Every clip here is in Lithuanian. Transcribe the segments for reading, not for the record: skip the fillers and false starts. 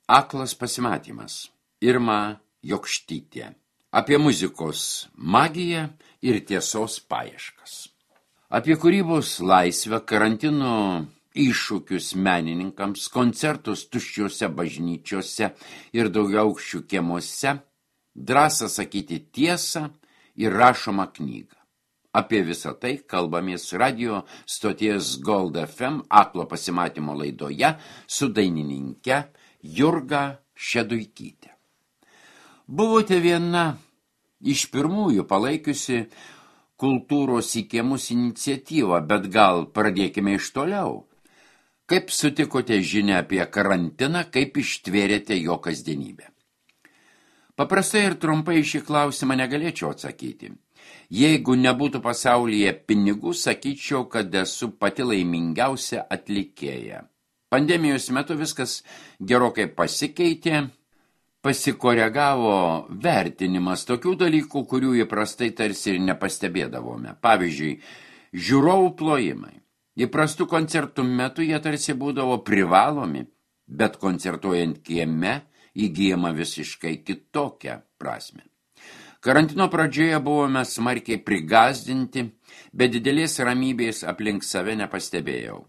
Aklas pasimatymas. Irma Jokštytė. Apie muzikos magiją ir tiesos paieškas. Apie kūrybos laisvę, karantino iššūkius menininkams, koncertus tuščiuose bažnyčiose ir daugiaaukščių kiemuose, drąsą sakyti tiesą ir rašomą knygą. Apie visą tai kalbamės radio stoties Gold FM Aklo pasimatymo laidoje su dainininke Jurga Šeduikytė. Buvote viena iš pirmųjų palaikiusi kultūros į kiemus iniciatyvą, bet gal pradėkime iš toliau. Kaip sutikote žinią apie karantiną, kaip ištvėrėte jo kasdienybę? Paprastai ir trumpai šį klausimą negalėčiau atsakyti. Jeigu nebūtų pasaulyje pinigų, sakyčiau, kad esu pati laimingiausia atlikėja. Pandemijos metu viskas gerokai pasikeitė, pasikoregavo vertinimas tokių dalykų, kurių įprastai tarsi ir nepastebėdavome. Pavyzdžiui, žiūrovų plojimai. Įprastų koncertų metu jie tarsi būdavo privalomi, bet koncertuojant kieme įgyjama visiškai kitokią prasme. Karantino pradžioje buvome smarkiai prigazdinti, bet didelės ramybės aplink save nepastebėjau.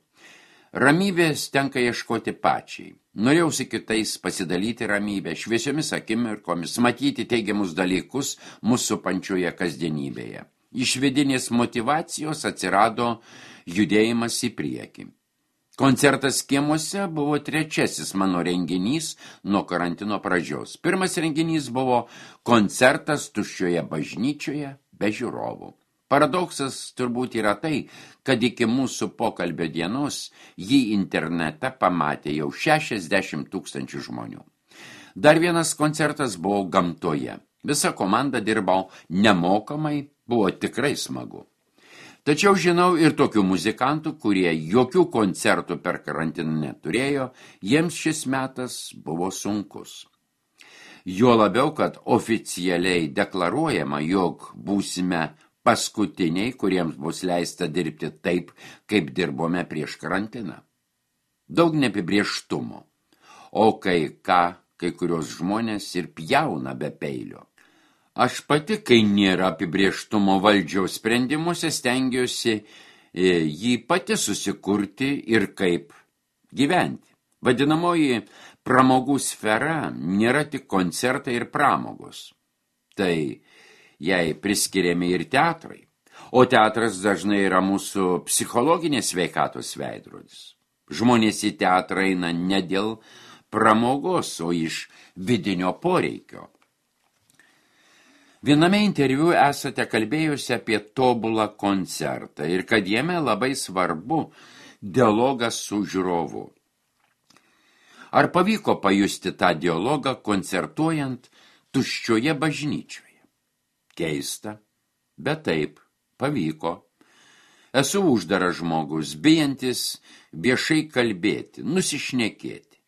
Ramybės tenka ieškoti pačiai. Norėjau su kitais pasidalyti ramybę, šviesiomis akimirkomis, matyti teigiamus dalykus mūsų pančioje kasdienybėje. Iš vidinės motyvacijos atsirado judėjimas į priekį. Koncertas kiemuose buvo trečiasis mano renginys nuo karantino pradžios. Pirmas renginys buvo koncertas tuščioje bažnyčioje be žiūrovų. Paradoksas turbūt yra tai, kad iki mūsų pokalbio dienos jį internete pamatė jau 60 000 žmonių. Dar vienas koncertas buvo gamtoje. Visa komanda dirbau nemokamai, buvo tikrai smagu. Tačiau žinau ir tokių muzikantų, kurie jokių koncertų per karantiną neturėjo, jiems šis metas buvo sunkus. Jo labiau, kad oficialiai deklaruojama, jog būsime paskutiniai, kuriems bus leista dirbti taip, kaip dirbome prieš karantiną. Daug neapibrėžtumo, o kai kurios žmonės ir pjauna be peilio. Aš pati, kai nėra apibrėžtumo valdžiaus sprendimuose, stengiuosi jį pati susikurti ir kaip gyventi. Vadinamoji pramogų sfera nėra tik koncertai ir pramogos. Tai jai priskiriami ir teatrai, o teatras dažnai yra mūsų psichologinės sveikatos veidrodis. Žmonės į teatrą eina ne dėl pramogos, o iš vidinio poreikio. Viename interviu esate kalbėjusi apie tobulą koncertą ir kad jame labai svarbu dialogas su žiūrovu. Ar pavyko pajusti tą dialogą koncertuojant tuščioje bažnyčioje? Keista, bet taip, pavyko. Esu uždaras žmogus, bijantis viešai kalbėti, nusišnekėti.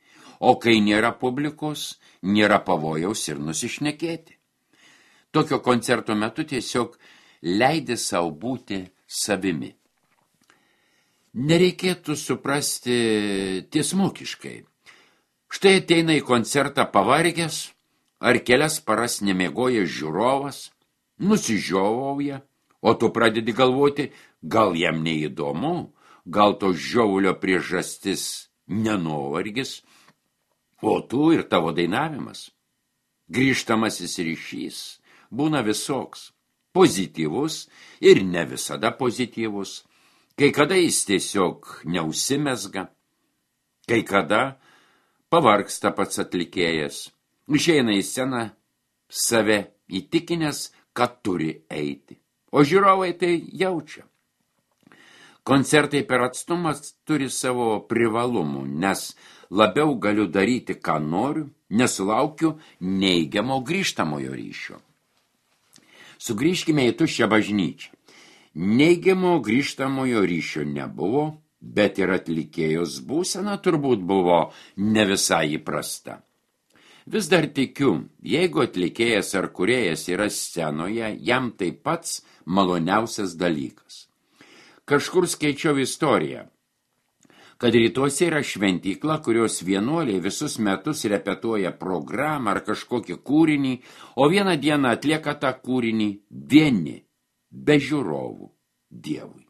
O kai nėra publikos, nėra pavojaus ir nusišnekėti. Tokio koncerto metu tiesiog leidi sau būti savimi. Nereikėtų suprasti tiesmukiškai. Štai ateina į koncertą pavargęs, ar kelias paras nemiegoja žiūrovas, nusižiovauja, o tu pradedi galvoti, gal jam neįdomu, gal to žiovulio priežastis nenuovargis, o tu ir tavo dainavimas. Grįžtamasis ryšys būna visoks, pozityvus ir ne visada pozityvus, kai kada jis tiesiog neužsimezga, kai kada pavargsta pats atlikėjas, išeina į sceną save įtikinęs, kad turi eiti. O žiūrovai tai jaučia. Koncertai per atstumas turi savo privalumų, nes labiau galiu daryti, ką noriu, nesulaukiu neigiamo grįžtamojo ryšio. Sugrįžkime į tuščią bažnyčią. Neigiamo grįžtamojo ryšio nebuvo, bet ir atlikėjos būsena turbūt buvo ne visai įprasta. Vis dar tikiu, jeigu atlikėjas ar kūrėjas yra scenoje, jam tai pats maloniausias dalykas. Kažkur skaičiau istoriją, kad rytuose yra šventykla, kurios vienuoliai visus metus repetuoja programą ar kažkokį kūrinį, o vieną dieną atlieka tą kūrinį vieni, be žiūrovų, Dievui.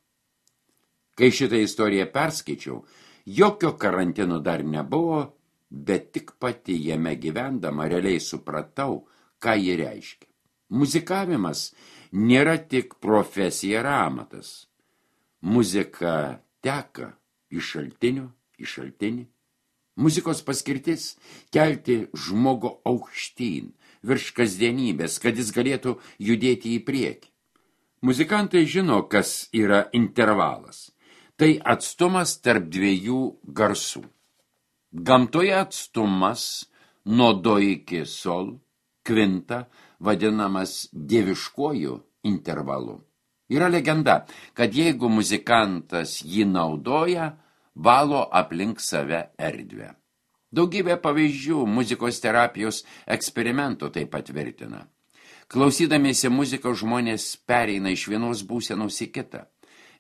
Kai šitą istoriją perskaičiau, jokio karantino dar nebuvo, bet tik pati jame gyvendama realiai supratau, ką ji reiškia. Muzikavimas nėra tik profesija ir amatas. Muzika teka iš šaltinio į šaltinį. Muzikos paskirtis – kelti žmogų aukštyn, virš kasdienybės, kad jis galėtų judėti į priekį. Muzikantai žino, kas yra intervalas. Tai atstumas tarp dviejų garsų. Gamtoje atstumas nuo do iki sol, kvinta, vadinamas dieviškuoju intervalu. Yra legenda, kad jeigu muzikantas jį naudoja, valo aplink save erdvę. Daugybė pavyzdžių muzikos terapijos eksperimentų tai patvirtina. Klausydamiesi muzikos žmonės pereina iš vienos būsenos į kitą.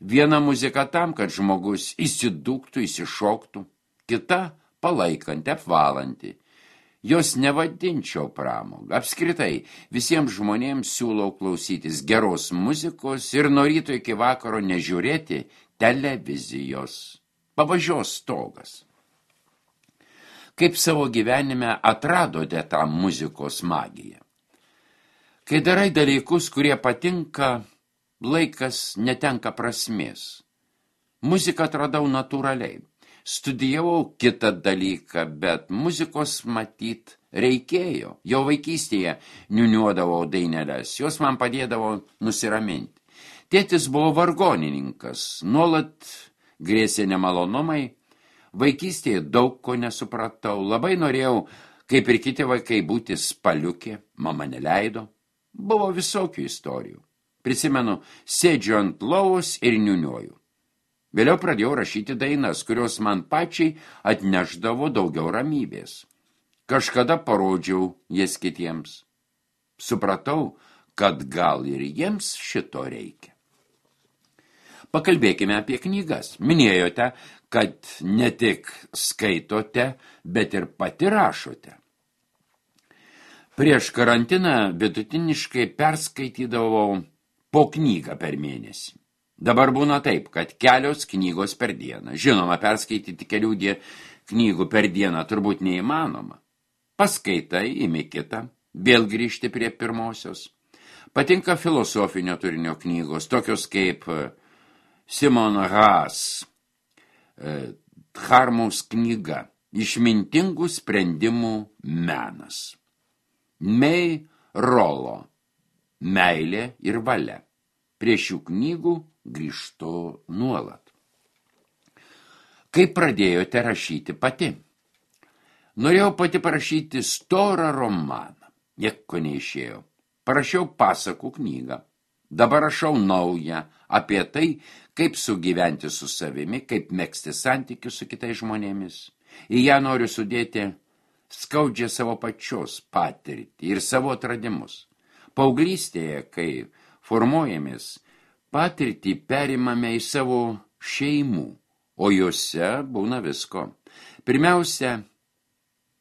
Viena muzika tam, kad žmogus įsidūktų, įsišoktų, kita palaikanti, apvalanti. Jos nevadinčiau pramogą. Apskritai, visiems žmonėms siūlau klausytis geros muzikos ir nuo ryto iki vakaro nežiūrėti televizijos. Pavažios stogas. Kaip savo gyvenime atradote tą muzikos magiją? Kai darai dalykus, kurie patinka, laikas netenka prasmės. Muziką atradau natūraliai. Studijavau kitą dalyką, bet muzikos matyt reikėjo. Jau vaikystėje niuniuodavau daineles, jos man padėdavo nusiraminti. Tėtis buvo vargonininkas, nuolat grėsė nemalonumai. Vaikystėje daug ko nesupratau, labai norėjau, kaip ir kiti vaikai, būti spaliukė, mama neleido. Buvo visokių istorijų. Prisimenu, sėdžiu ant lovos ir niuniuoju. Vėliau pradėjau rašyti dainas, kurios man pačiai atnešdavo daugiau ramybės. Kažkada parodžiau jas kitiems. Supratau, kad gal ir jiems šito reikia. Pakalbėkime apie knygas. Minėjote, kad ne tik skaitote, bet ir pati rašote. Prieš karantiną vidutiniškai perskaitydavau po knygą per mėnesį. Dabar būna taip, kad kelios knygos per dieną. Žinoma, perskaityti kelių knygų per dieną turbūt neįmanoma. Paskaitai, imi kitą, vėl grįžti prie pirmosios. Patinka filosofinio turinio knygos, tokios kaip Simon Haas, Dharmos knyga, Išmintingų sprendimų menas. May Rollo, Meilė ir valia. Prie šių knygų grįžtu nuolat. Kaip pradėjote rašyti pati? Norėjau pati parašyti storą romaną. Nieko neišėjo. Parašiau pasakų knygą. Dabar rašau naują apie tai, kaip sugyventi su savimi, kaip megzti santykius su kitais žmonėmis. Į ją noriu sudėti skaudžią savo pačios patirtį ir savo atradimus. Paauglystėje, kai formuojamės, patirtį perimame į savo šeimų, o juose būna visko. Pirmiausia,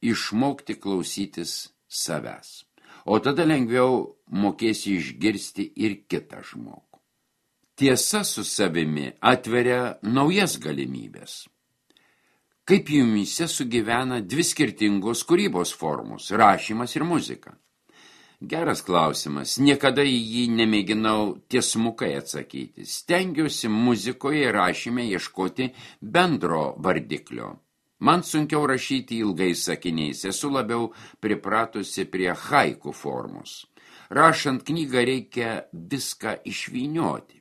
išmokti klausytis savęs, o tada lengviau mokėsi išgirsti ir kitą žmogų. Tiesa su savimi atveria naujas galimybės. Kaip jumyse sugyvena dvi skirtingos kūrybos formos – rašymas ir muzika? Geras klausimas. Niekada į jį nemėginau tiesmukai atsakyti. Stengiuosi muzikoje ir rašyme ieškoti bendro vardiklio. Man sunkiau rašyti ilgais sakiniais, esu labiau pripratusi prie haiku formos. Rašant knygą reikia viską išvynioti.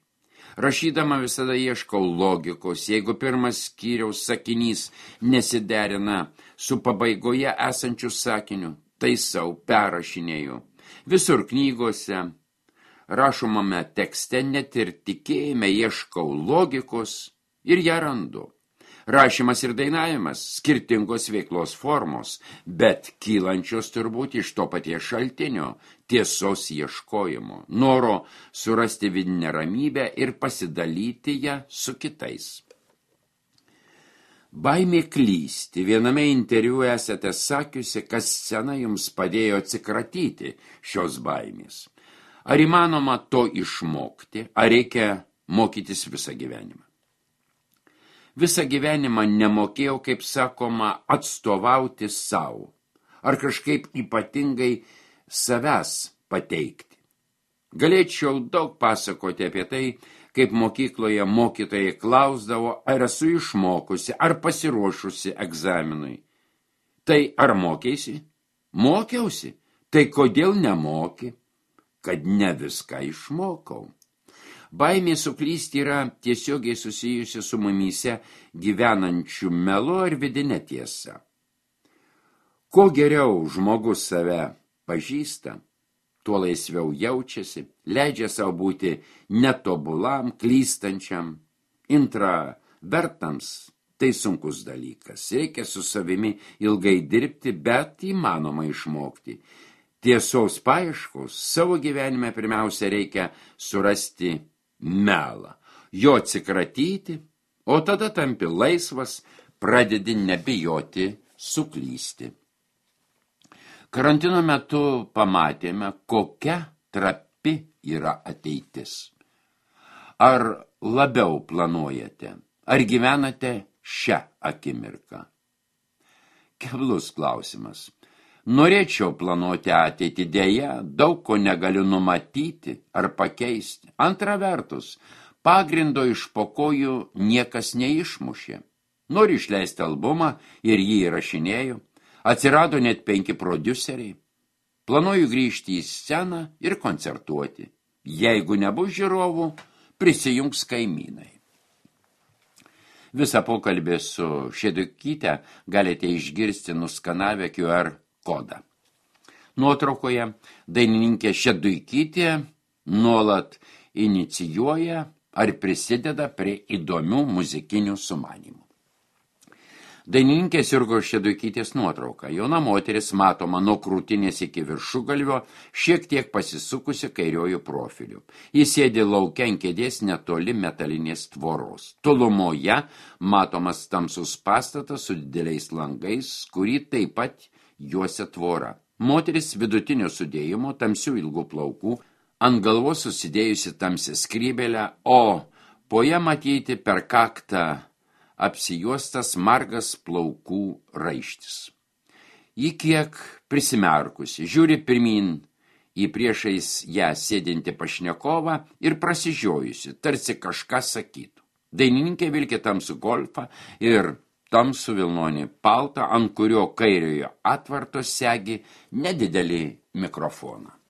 Rašydama visada ieškau logikos, jeigu pirmas skyriaus sakinys nesiderina su pabaigoje esančiu sakiniu, taisau, perrašinėju. Visur knygose, rašomame tekste, net ir tikėjime ieškau logikos ir ją randu. Rašymas ir dainavimas skirtingos veiklos formos, bet kylančios turbūt iš to paties šaltinio, tiesos ieškojimo, noro surasti vidinę ramybę ir pasidalyti ją su kitais. Baimė klysti. Viename interviu esate sakiusi, kad scena jums padėjo atsikratyti šios baimės. Ar įmanoma to išmokti, ar reikia mokytis visą gyvenimą? Visą gyvenimą nemokėjau, kaip sakoma, atstovauti savo, ar kažkaip ypatingai savęs pateikti. Galėčiau daug pasakoti apie tai, kaip mokykloje mokytojai klausdavo, ar esu išmokusi, ar pasiruošusi egzaminui. Tai ar mokėsi? Mokiausi. Tai kodėl nemoki? Kad ne viską išmokau. Baimė suklysti yra tiesiogiai susijusi su mumyse gyvenančių melu ar vidine tiesa. Kuo geriau žmogus save pažįsta, tuo laisviau jaučiasi, leidžia savo būti netobulam, klystančiam, intravertams. Tai sunkus dalykas. Reikia su savimi ilgai dirbti, bet įmanoma išmokti. Tiesos paieškos savo gyvenime pirmiausia reikia surasti melą, jo atsikratyti, o tada tampi laisvas, pradedi nebijoti suklysti. Karantino metu pamatėme, kokia trapi yra ateitis. Ar labiau planuojate, ar gyvenate šią akimirką? Keblus klausimas. Norėčiau planuoti ateitį, dėja, daug ko negaliu numatyti ar pakeisti. Antra vertus, pagrindo iš po kojų niekas neišmušė. Noriu išleisti albumą ir jį įrašinėjau. Atsirado net 5 prodiuseriai. Planuoju grįžti į sceną ir koncertuoti. Jeigu nebus žiūrovų, prisijungs kaimynai. Visą pokalbį su Šeduikyte galite išgirsti nuskanavę QR kodą. Nuotraukoje dainininkė Šeduikytė nuolat inicijuoja ar prisideda prie įdomių muzikinių sumanymų. Dainininkės Jurgos Šeduikytės nuotrauka. Jauna moteris matoma nuo krūtinės iki viršugalvio, šiek tiek pasisukusi kairiojų profiliu. Jis sėdi lauke ant kėdės netoli metalinės tvoros. Tolumoje matomas tamsus pastatas su dideliais langais, kurį taip pat juosia tvora. Moteris vidutinio sudėjimo, tamsių ilgų plaukų, ant galvos susidėjusi tamsią skrybelę, o po ją matyti per kaktą apsijuostas margas plaukų raištis. Ji kiek prisimerkusi, žiūri pirmin į priešais ją sėdinti pašnekovą ir prasižiojusi, tarsi kažką sakytų. Dainininkė vilki tamsų golfą ir tamsų vilnonį paltą, ant kurio kairiojo atvarto segi nedidelį mikrofoną.